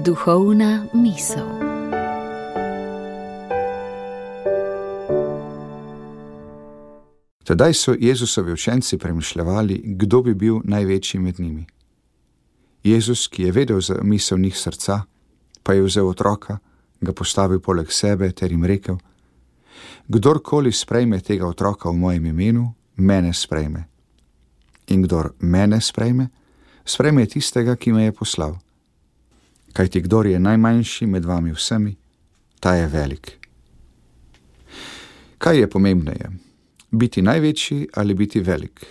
Duhovna misel. Tedaj so Jezusovi učenci premišljevali, kdo bi bil največji med njimi. Jezus, ki je vedel za misel njih srca, pa je vzel otroka, ga postavil poleg sebe ter jim rekel: Kdorkoli sprejme tega otroka v mojem imenu, mene sprejme. In kdor mene sprejme, sprejme tistega, ki me je poslal. Kajti kdor je najmanjši med vami vsemi, ta je velik. Kaj je pomembneje? Biti največji ali biti velik?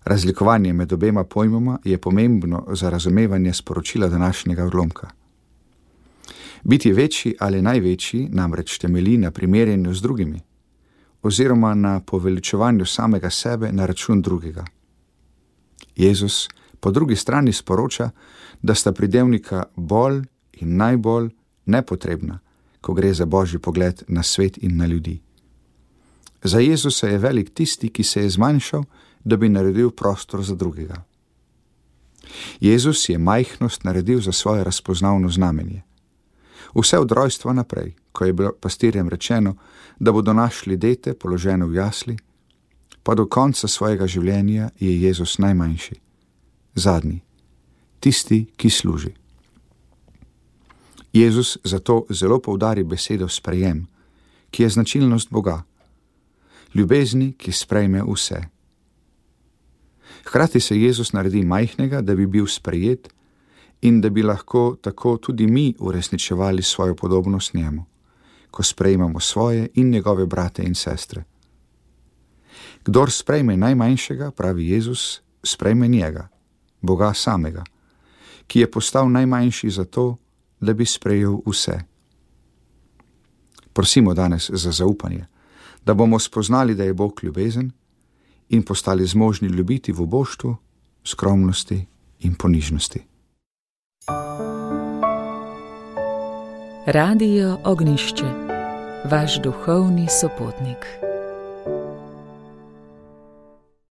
Razlikovanje med obema pojmoma je pomembno za razumevanje sporočila današnjega odlomka. Biti večji ali največji namreč temelji na primerjanju z drugimi, oziroma na poveličevanju samega sebe na račun drugega. Jezus po drugi strani sporoča, da sta pridevnika bolj in najbolj nepotrebna, ko gre za božji pogled na svet in na ljudi. Za Jezusa je velik tisti, ki se je zmanjšal, da bi naredil prostor za drugega. Jezus je majhnost naredil za svoje razpoznavno znamenje. Vse od rojstva naprej, ko je bilo pastirjem rečeno, da bodo našli dete položeno v jasli, pa do konca svojega življenja je Jezus najmanjši, zadnji, tisti, ki služi. Jezus zato zelo poudari besedo sprejem, ki je značilnost Boga, ljubezni, ki sprejme vse. Hkrati se Jezus naredi majhnega, da bi bil sprejet in da bi lahko tako tudi mi uresničevali svojo podobnost njemu, ko sprejmemo svoje in njegove brate in sestre. Kdor sprejme najmanjšega, pravi Jezus, sprejme njega, Boga samega, ki je postal najmanjši zato, da bi sprejel vse. Prosimo danes za zaupanje, da bomo spoznali, da je Bog ljubezen in postali zmožni ljubiti v oboštvu, skromnosti in ponižnosti. Radio Ognjišče, vaš duhovni sopotnik.